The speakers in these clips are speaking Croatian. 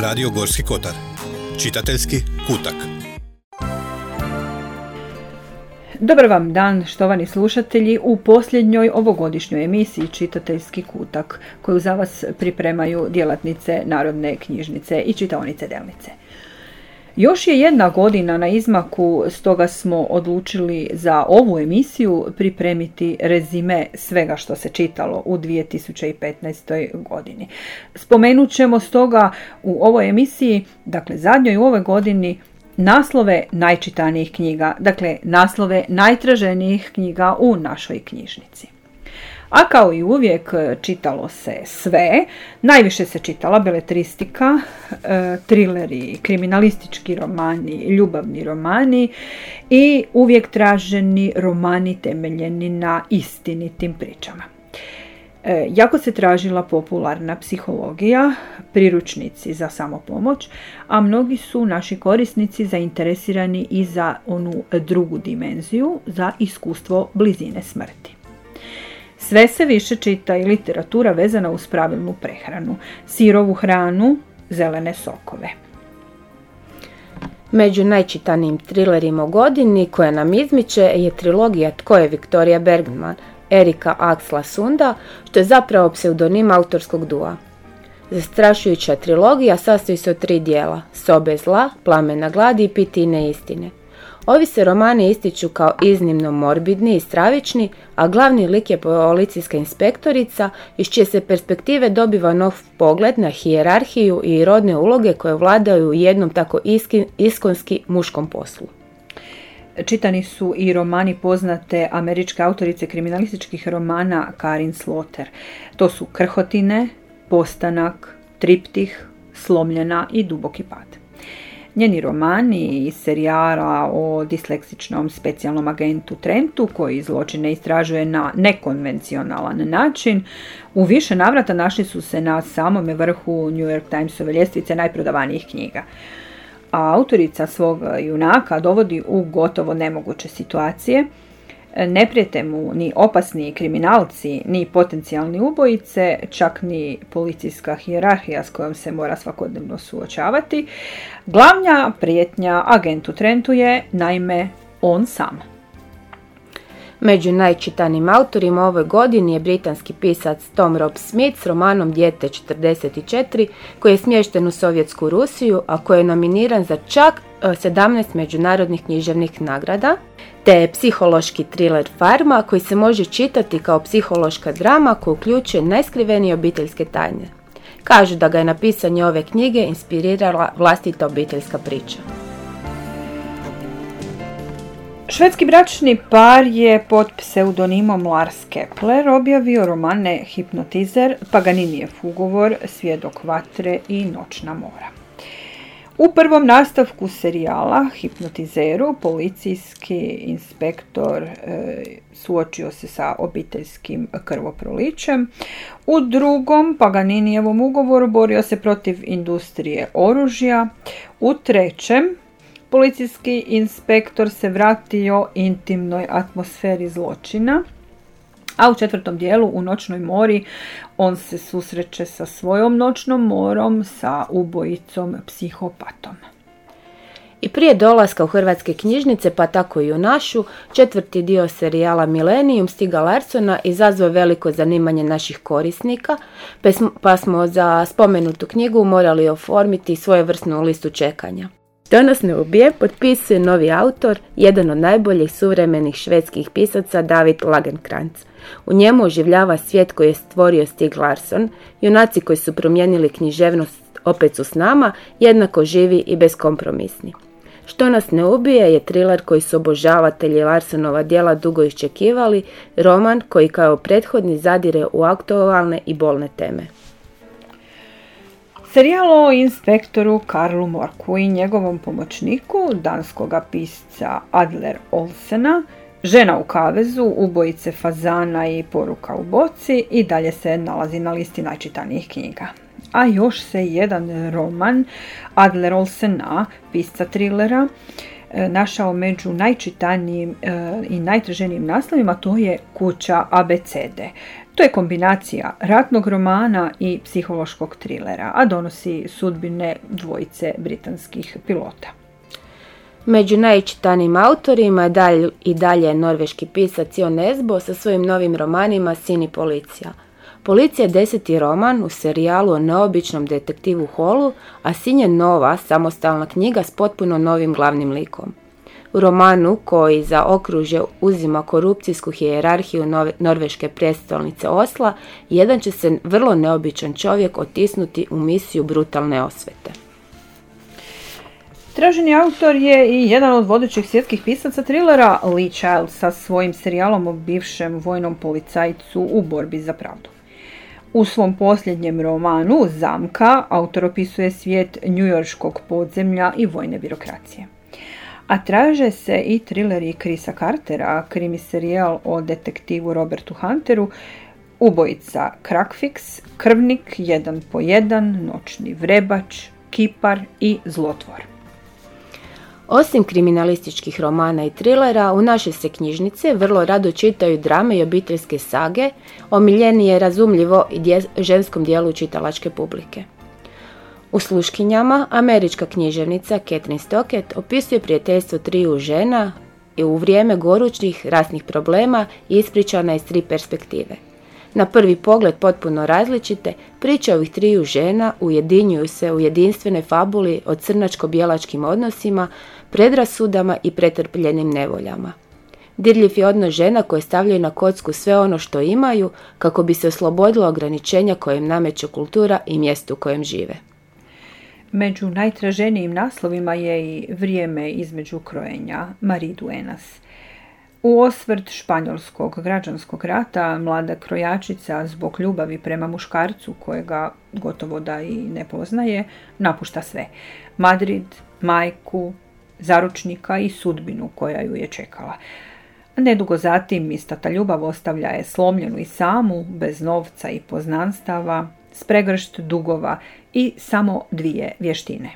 Radio Gorski Kotar. Čitateljski kutak. Dobar vam dan, štovani slušatelji, u posljednjoj ovogodišnjoj emisiji Čitateljski kutak, koju za vas pripremaju djelatnice Narodne knjižnice i čitaonice Delnice. Još je jedna godina na izmaku, stoga smo odlučili za ovu emisiju pripremiti rezime svega što se čitalo u 2015. godini. Spomenut ćemo stoga u ovoj emisiji, dakle zadnjoj u ovoj godini, naslove najčitanijih knjiga, dakle naslove najtraženijih knjiga u našoj knjižnici. A kao i uvijek čitalo se sve, najviše se čitala beletristika, trileri, kriminalistički romani, ljubavni romani i uvijek traženi romani temeljeni na istinitim pričama. Jako se tražila popularna psihologija, priručnici za samopomoć, a mnogi su naši korisnici zainteresirani i za onu drugu dimenziju, za iskustvo blizine smrti. Sve se više čita i literatura vezana uz pravilnu prehranu, sirovu hranu, zelene sokove. Među najčitanijim trilerima u godini koja nam izmiče je trilogija Tko je Victoria Bergman, Erika Axla Sunda, što je zapravo pseudonim autorskog dua. Zastrašujuća trilogija sastoji se od 3 dijela: Sobe zla, Plamena gladi i Pitine istine. Ovi se romani ističu kao iznimno morbidni i stravični, a glavni lik je policijska inspektorica iz čije se perspektive dobiva nov pogled na hijerarhiju i rodne uloge koje vladaju u jednom tako iskonski muškom poslu. Čitani su i romani poznate američke autorice kriminalističkih romana Karin Slaughter. To su Krhotine, Postanak, Triptih, Slomljena i Duboki pad. Njeni romani iz serijala o disleksičnom specijalnom agentu Trentu, koji zločine istražuje na nekonvencionalan način, u više navrata našli su se na samome vrhu New York Timesove ljestvice najprodavanijih knjiga. A autorica svog junaka dovodi u gotovo nemoguće situacije. Ne prijete mu ni opasni kriminalci, ni potencijalni ubojice, čak ni policijska hijerarhija s kojom se mora svakodnevno suočavati. Glavna prijetnja agentu Trentu je, naime, on sam. Među najčitanijim autorima ove godini je britanski pisac Tom Rob Smith s romanom Dijete 44, koji je smješten u Sovjetsku Rusiju, a koji je nominiran za čak 17 međunarodnih književnih nagrada, te je psihološki thriller Farma, koji se može čitati kao psihološka drama koja uključuje najskrivenije obiteljske tajne. Kažu da ga je na pisanje ove knjige inspirirala vlastita obiteljska priča. Švedski bračni par je pod pseudonimom Lars Kepler objavio romane Hipnotizer, Paganinijev ugovor, Svjedok vatre i Noćna mora. U prvom nastavku serijala Hipnotizeru policijski inspektor suočio se sa obiteljskim krvoprolićem. U drugom Paganinijevom ugovoru borio se protiv industrije oružja. U trećem policijski inspektor se vratio intimnoj atmosferi zločina, a u četvrtom dijelu u Noćnoj mori on se susreće sa svojom noćnom morom, sa ubojicom psihopatom. I prije dolaska u hrvatske knjižnice, pa tako i u našu, četvrti dio serijala Millennium Stiga Larssona izazvao veliko zanimanje naših korisnika, pa smo za spomenutu knjigu morali oformiti svojevrsnu listu čekanja. Što nas ne ubije, potpisuje novi autor, jedan od najboljih suvremenih švedskih pisaca, David Lagercrantz. U njemu oživljava svijet koji je stvorio Stig Larsson, junaci koji su promijenili književnost opet su s nama, jednako živi i beskompromisni. Što nas ne ubije je thriller koji su obožavatelji Larssonova djela dugo iščekivali, roman koji kao prethodni zadire u aktualne i bolne teme. Serijal o inspektoru Karlu Morku i njegovom pomoćniku, danskoga pisca Adler Olsena, Žena u kavezu, Ubojice fazana i Poruka u boci i dalje se nalazi na listi najčitanijih knjiga. A još se jedan roman Adler Olsena, pisca trilera, našao među najčitanijim i najtraženijim naslovima, to je Kuća abecede. To je kombinacija ratnog romana i psihološkog trilera, a donosi sudbine dvojice britanskih pilota. Među najčitanijim autorima je i dalje norveški pisac Jon Nesbo sa svojim novim romanima Sin i policija. Policija je 10. roman u serijalu o neobičnom detektivu Hallu, a Sin je nova, samostalna knjiga s potpuno novim glavnim likom. U romanu, koji za okružje uzima korupcijsku hijerarhiju norveške prijestolnice Osla, jedan će se vrlo neobičan čovjek otisnuti u misiju brutalne osvete. Traženi autor je i jedan od vodećih svjetskih pisaca trilera Lee Child sa svojim serijalom o bivšem vojnom policajcu u borbi za pravdu. U svom posljednjem romanu Zamka autor opisuje svijet njujorškog podzemlja i vojne birokracije. A traže se i trileri Chrisa Cartera, krimi serijal o detektivu Robertu Hunteru, Ubojica Crackfix, Krvnik, Jedan po jedan, Noćni vrebač, Kipar i Zlotvor. Osim kriminalističkih romana i trilera, u naše se knjižnice vrlo rado čitaju drame i obiteljske sage, omiljenije razumljivo i ženskom dijelu čitalačke publike. U Sluškinjama američka književnica Catherine Stockett opisuje prijateljstvo triju žena i u vrijeme gorućih rasnih problema ispričana iz 3 perspektive. Na prvi pogled potpuno različite, priče ovih triju žena ujedinjuju se u jedinstvenoj fabuli o crnačko-bijelačkim odnosima, predrasudama i pretrpljenim nevoljama. Dirljiv je odnos žena koje stavljaju na kocku sve ono što imaju kako bi se oslobodilo ograničenja koje im nameće kultura i mjesto u kojem žive. Među najtraženijim naslovima je i Vrijeme između krojenja Marie Duenas. U osvrt španjolskog građanskog rata mlada krojačica zbog ljubavi prema muškarcu kojega gotovo da i ne poznaje, napušta sve. Madrid, majku, zaručnika i sudbinu koja ju je čekala. Nedugo zatim ista ta ljubav ostavlja je slomljenu i samu, bez novca i poznanstava, s pregršt dugova i samo 2 vještine.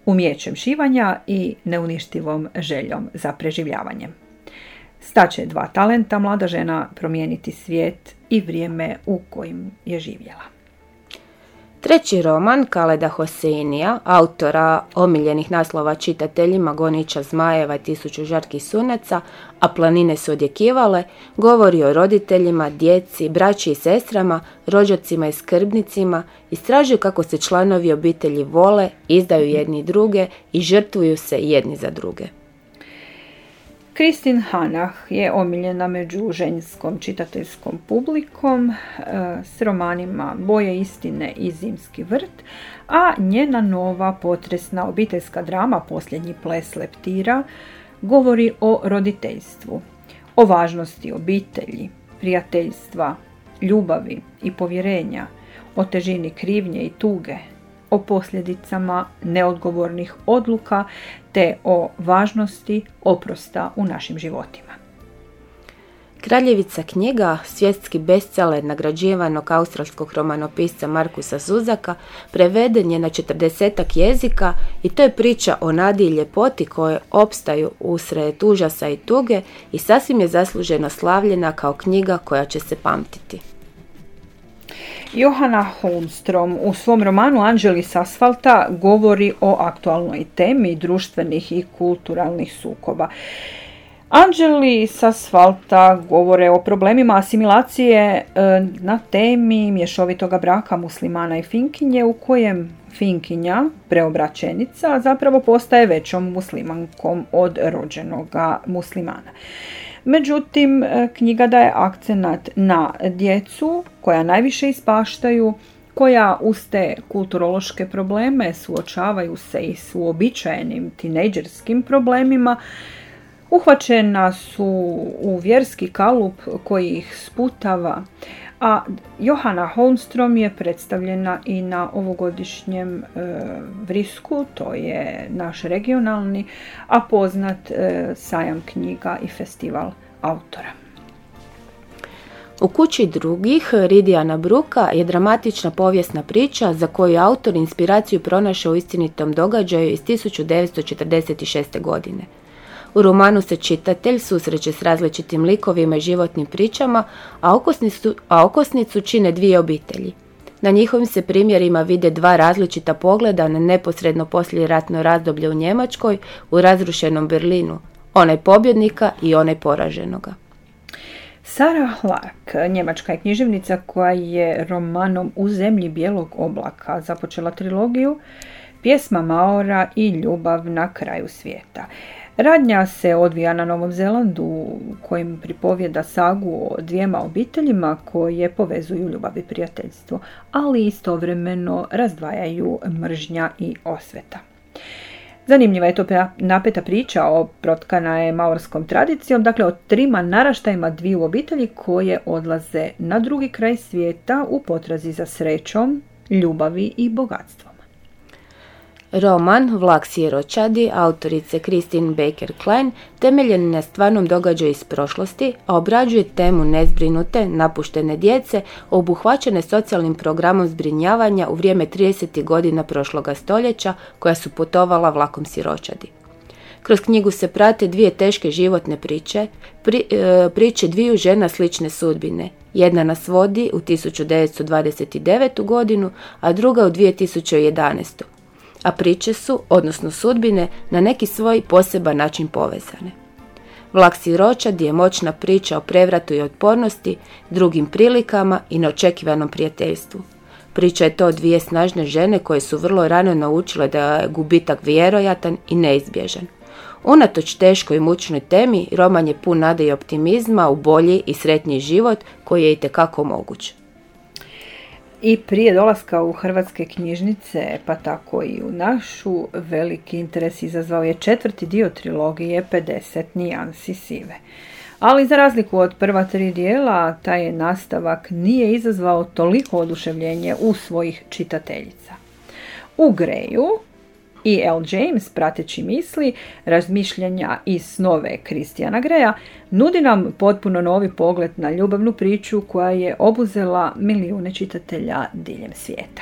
Umijećem šivanja i neuništivom željom za preživljavanjem. Staće 2 talenta mlada žena promijeniti svijet i vrijeme u kojim je živjela. Treći roman Kaleda Hoseinija, autora omiljenih naslova čitateljima Goniča zmajeva i 1000 žarkih sunaca, a planine su odjekivale, govori o roditeljima, djeci, braći i sestrama, rođacima i skrbnicima, istražuju kako se članovi obitelji vole, izdaju jedni druge i žrtvuju se jedni za druge. Kristin Hanah je omiljena među ženskom čitateljskom publikom s romanima Boje istine i Zimski vrt, a njena nova potresna obiteljska drama Posljednji ples leptira govori o roditeljstvu, o važnosti obitelji, prijateljstva, ljubavi i povjerenja, o težini krivnje i tuge, o posljedicama neodgovornih odluka te o važnosti oprosta u našim životima. Kraljevica knjiga, svjetski bestseller nagrađivanog australskog romanopisca Markusa Zuzaka, preveden je na 40 jezika i to je priča o nadi i ljepoti koje opstaju usred užasa i tuge i sasvim je zasluženo slavljena kao knjiga koja će se pamtiti. Johanna Holmstrom u svom romanu Anđeli s asfalta govori o aktualnoj temi društvenih i kulturalnih sukoba. Anđeli s asfalta govore o problemima asimilacije na temi mješovitoga braka muslimana i Finkinje, u kojem Finkinja, preobraćenica, zapravo postaje većom muslimankom od rođenoga muslimana. Međutim, knjiga daje akcenat na djecu koja najviše ispaštaju, koja uz te kulturološke probleme suočavaju se i s uobičajenim tinejdžerskim problemima, uhvaćena su u vjerski kalup koji ih sputava, a Johanna Holmstrom je predstavljena i na ovogodišnjem Vrisku, to je naš regionalni, a poznat sajam knjiga i festival autora. U kući drugih Ridijana Bruka je dramatična povijesna priča za koju je autor inspiraciju pronašao u istinitom događaju iz 1946. godine. U romanu se čitatelj susreće s različitim likovima i životnim pričama, a okosnicu čine dvije obitelji. Na njihovim se primjerima vide dva različita pogleda na neposredno poslijeratno razdoblje u Njemačkoj, u razrušenom Berlinu, onaj pobjednika i onaj poraženoga. Sarah Lark, njemačka je književnica koja je romanom U zemlji bijelog oblaka započela trilogiju Pjesma Maora i Ljubav na kraju svijeta. Radnja se odvija na Novom Zelandu, kojim pripovjeda sagu o dvijema obiteljima koje povezuju ljubav i prijateljstvo, ali istovremeno razdvajaju mržnja i osveta. Zanimljiva je to napeta priča, protkana je maorskom tradicijom, dakle o trima naraštajima dviju obitelji koje odlaze na drugi kraj svijeta u potrazi za srećom, ljubavi i bogatstvom. Roman Vlak siročadi autorice Christine Baker Klein temeljen je na stvarnom događaju iz prošlosti, a obrađuje temu nezbrinute, napuštene djece, obuhvaćene socijalnim programom zbrinjavanja u vrijeme 30. godina prošloga stoljeća koja su putovala vlakom siročadi. Kroz knjigu se prate dvije teške životne priče dviju žena slične sudbine. Jedna nas vodi u 1929. godinu, a druga u 2011. A priče su, odnosno sudbine, na neki svoj poseban način povezane. Vlak siročadi je moćna priča o prevratu i otpornosti, drugim prilikama i neočekivanom prijateljstvu. Priča je to o dvije snažne žene koje su vrlo rano naučile da je gubitak vjerojatan i neizbježan. Unatoč teškoj i mučnoj temi, roman je pun nade i optimizma u bolji i sretniji život koji je itekako moguć. I prije dolaska u hrvatske knjižnice, pa tako i u našu, veliki interes izazvao je 4. dio trilogije 50 nijansi sive. Ali za razliku od prva 3 dijela, taj nastavak nije izazvao toliko oduševljenje u svojih čitateljica. U Greju i L. James, prateći misli, razmišljanja i snove Christiana Greya, nudi nam potpuno novi pogled na ljubavnu priču koja je obuzela milijune čitatelja diljem svijeta.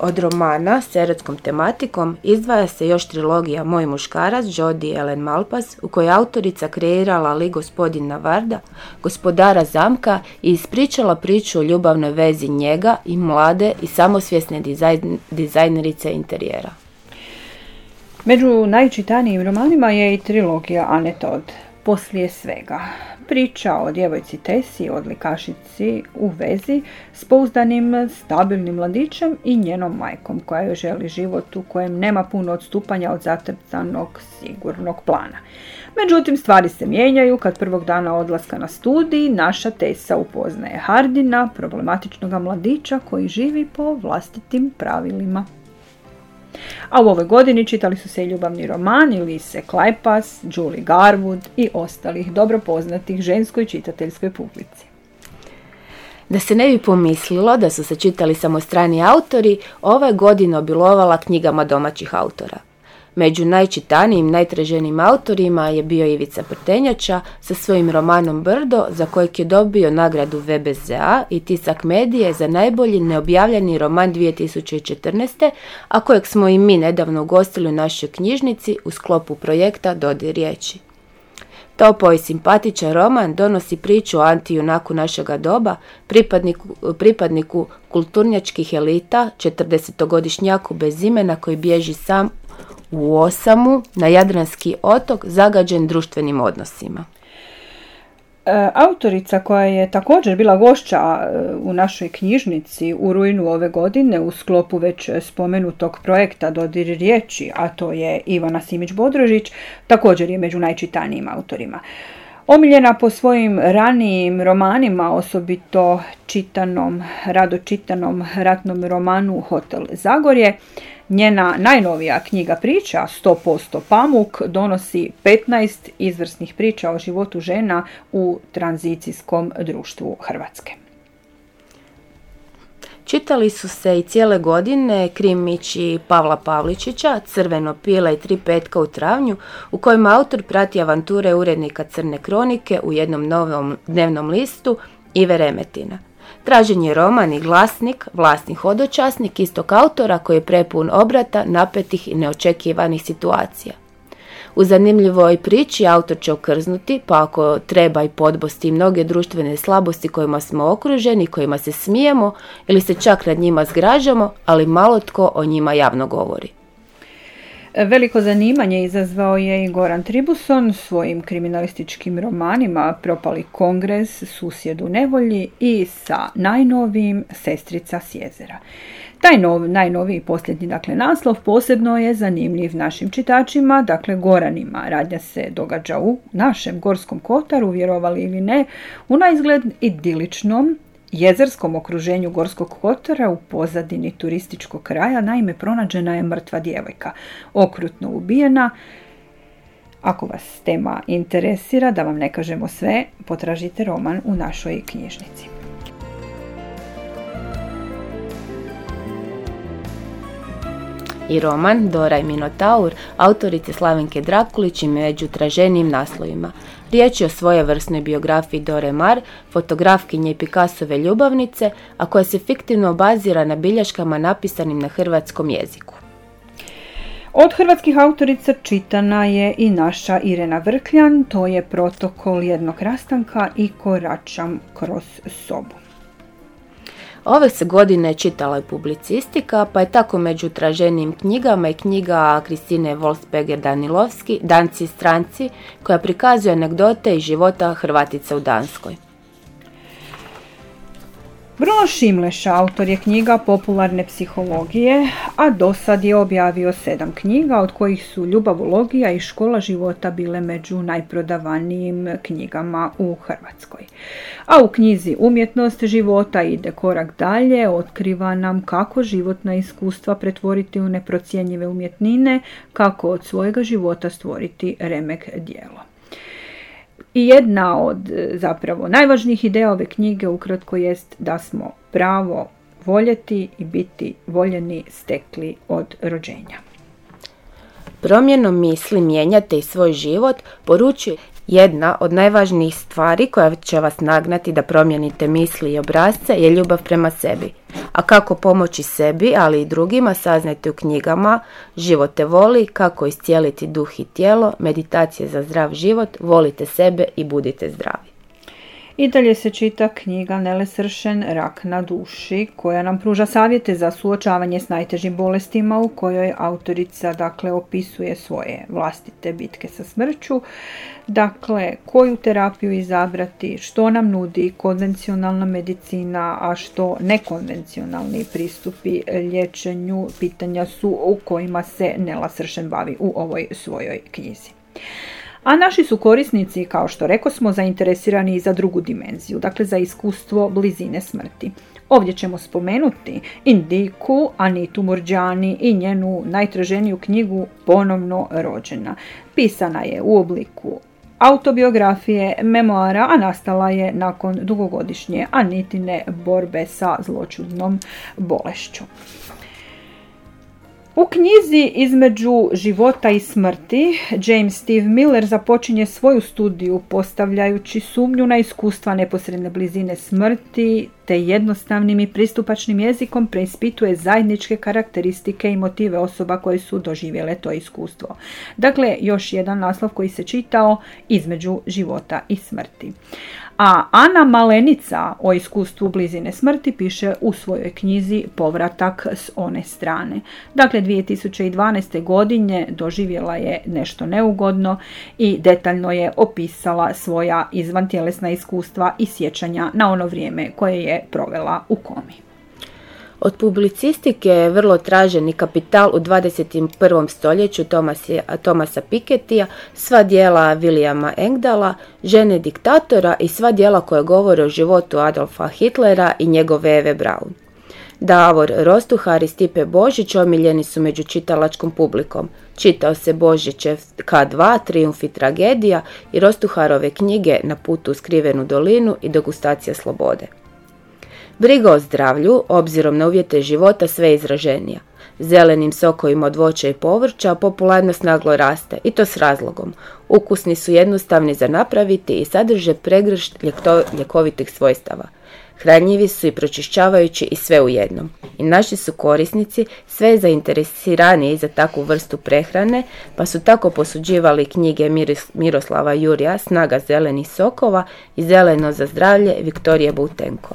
Od romana s erotskom tematikom izdvaja se još trilogija Moj muškarac Jodi Ellen Malpass, u kojoj autorica kreirala lik gospodina Varda, gospodara zamka, i ispričala priču o ljubavnoj vezi njega i mlade i samosvjesne dizajnerice interijera. Među najčitanijim romanima je i trilogija Anne Todd, Poslije svega. Priča o djevojci Tesi, odlikašici u vezi s pouzdanim, stabilnim mladićem i njenom majkom koja joj želi život u kojem nema puno odstupanja od zacrtanog sigurnog plana. Međutim, stvari se mijenjaju kad prvog dana odlaska na studij naša Tesa upoznaje Hardina, problematičnog mladića koji živi po vlastitim pravilima. A u ovoj godini čitali su se i ljubavni romani Lise Kleypas, Julie Garwood i ostalih dobro poznatih ženskoj čitateljskoj publici. Da se ne bi pomislilo da su se čitali samo strani autori, ova je godina obilovala knjigama domaćih autora. Među najčitanijim, najtraženijim autorima je bio Ivica Prtenjača sa svojim romanom Brdo, za kojeg je dobio nagradu VBZA i Tisak Medije za najbolji neobjavljeni roman 2014. a kojeg smo i mi nedavno ugostili u našoj knjižnici u sklopu projekta Dodir riječi. Topao i simpatičan roman donosi priču o antijunaku našega doba, pripadniku kulturnjačkih elita, 40-godišnjaku bez imena koji bježi sam u osamu na Jadranski otok zagađen društvenim odnosima. Autorica koja je također bila gošća u našoj knjižnici u rujnu ove godine u sklopu već spomenutog projekta Dodir riječi, a to je Ivana Simić-Bodrožić, također je među najčitanijim autorima. Omiljena po svojim ranijim romanima, osobito rado čitanom ratnom romanu Hotel Zagorje, njena najnovija knjiga priča 100% pamuk donosi 15 izvrsnih priča o životu žena u tranzicijskom društvu Hrvatske. Čitali su se i cijele godine krimići Pavla Pavličića, Crveno pile i 3 petka u travnju, u kojem autor prati avanture urednika Crne kronike u jednom novom dnevnom listu Ive Remetina. Tražen je roman i glasnik, vlasni hodočasnik istog autora koji je prepun obrata, napetih i neočekivanih situacija. U zanimljivoj priči autor će okrznuti, pa ako treba i podbosti mnoge društvene slabosti kojima smo okruženi, kojima se smijemo ili se čak nad njima zgražamo, ali malo tko o njima javno govori. Veliko zanimanje izazvao je i Goran Tribuson svojim kriminalističkim romanima Propali kongres, Susjed u nevolji i sa najnovijim Sestrica s jezera. Taj najnoviji posljednji naslov posebno je zanimljiv našim čitačima, Goranima. Radnja se događa u našem Gorskom kotaru, vjerovali ili ne, u naizgled idiličnom jezerskom okruženju Gorskog kotara u pozadini turističkog kraja. Naime, pronađena je mrtva djevojka, okrutno ubijena. Ako vas tema interesira, da vam ne kažemo sve, potražite roman u našoj knjižnici. I roman Dora i Minotaur autorice Slavenke Drakulić i među traženijim naslovima. Riječ je o svojevrsnoj biografiji Dore Maar, fotografkinje i Picassove ljubavnice, a koja se fiktivno bazira na bilješkama napisanim na hrvatskom jeziku. Od hrvatskih autorica čitana je i naša Irena Vrkljan, to je Protokol jednog rastanka i Koračam kroz sobu. Ove se godine čitala i publicistika, pa je tako među traženijim knjigama i knjiga Kristine Wolfsberger-Danilovski, Danci i stranci, koja prikazuje anegdote iz života Hrvatica u Danskoj. Bruno Šimleš, autor je knjiga popularne psihologije, a dosad je objavio 7 knjiga, od kojih su Ljubavologija i Škola života bile među najprodavanijim knjigama u Hrvatskoj. A u knjizi Umjetnost života ide korak dalje, otkriva nam kako životna iskustva pretvoriti u neprocjenjive umjetnine, kako od svojega života stvoriti remek djelo. I jedna od zapravo najvažnijih ideja ove knjige ukratko jest da smo pravo voljeti i biti voljeni stekli od rođenja. Promjenom misli mijenjate i svoj život, poručuje jedna od najvažnijih stvari koja će vas nagnati da promijenite misli i obrasce je ljubav prema sebi. A kako pomoći sebi, ali i drugima, saznajte u knjigama Život te voli, Kako iscijeliti duh i tijelo, Meditacije za zdrav život, Volite sebe i budite zdravi. I dalje se čita knjiga Nele Sršen, Rak na duši, koja nam pruža savjete za suočavanje s najtežim bolestima, u kojoj autorica opisuje svoje vlastite bitke sa smrću, koju terapiju izabrati, što nam nudi konvencionalna medicina, a što nekonvencionalni pristupi liječenju, pitanja su u kojima se Nela Sršen bavi u ovoj svojoj knjizi. A naši su korisnici, kao što rekosmo, zainteresirani i za drugu dimenziju, za iskustvo blizine smrti. Ovdje ćemo spomenuti Indiku, Anitu Murđani i njenu najtraženiju knjigu Ponovno rođena. Pisana je u obliku autobiografije, memoara, a nastala je nakon dugogodišnje Anitine borbe sa zloćudnom bolešću. U knjizi Između života i smrti James Steve Miller započinje svoju studiju postavljajući sumnju na iskustva neposredne blizine smrti, te jednostavnim i pristupačnim jezikom preispituje zajedničke karakteristike i motive osoba koje su doživjele to iskustvo. Još jedan naslov koji se čitao Između života i smrti. A Ana Malenica o iskustvu blizine smrti piše u svojoj knjizi Povratak s one strane. 2012. godine doživjela je nešto neugodno i detaljno je opisala svoja izvantjelesna iskustva i sjećanja na ono vrijeme koje je provela u komi. Od publicistike je vrlo traženi Kapital u 21. stoljeću Thomasa Pikettija, sva djela Williama Engdala, Žene diktatora i sva djela koje govore o životu Adolfa Hitlera i njegove Eve Braun. Davor Rostuhar i Stipe Božić omiljeni su među čitalačkom publikom. Čitao se Božićev K2, Trijumf i tragedija i Rostuharove knjige Na putu u skrivenu dolinu i Degustacija slobode. Briga o zdravlju, obzirom na uvjete života, sve izraženija. Zelenim sokovima od voća i povrća popularnost naglo raste, i to s razlogom. Ukusni su jednostavni za napraviti i sadrže pregršt ljekovitih svojstava. hranjivi su i pročišćavajući i sve u jednom. I naši su korisnici sve zainteresiraniji za takvu vrstu prehrane, pa su tako posuđivali knjige Miroslava Jurja Snaga zelenih sokova i Zeleno za zdravlje Viktorije Boutenko.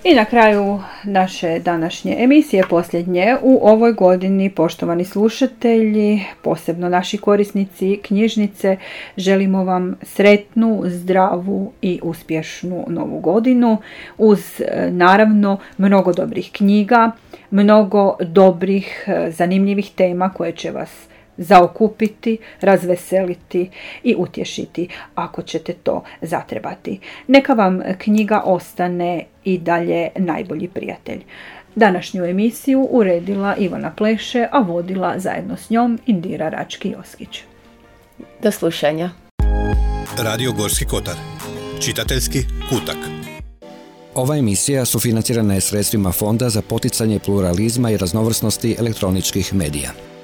I na kraju naše današnje emisije, posljednje u ovoj godini, poštovani slušatelji, posebno naši korisnici knjižnice, želimo vam sretnu, zdravu i uspješnu novu godinu uz naravno mnogo dobrih knjiga, mnogo dobrih, zanimljivih tema koje će vas zaokupiti, razveseliti i utješiti ako ćete to zatrebati. Neka vam knjiga ostane i dalje najbolji prijatelj. Današnju emisiju uredila Ivana Pleše, a vodila zajedno s njom Indira Rački-Joskić. Do slušanja. Radio Gorski kotar. Čitateljski kutak. Ova emisija sufinancirana je sredstvima Fonda za poticanje pluralizma i raznovrsnosti elektroničkih medija.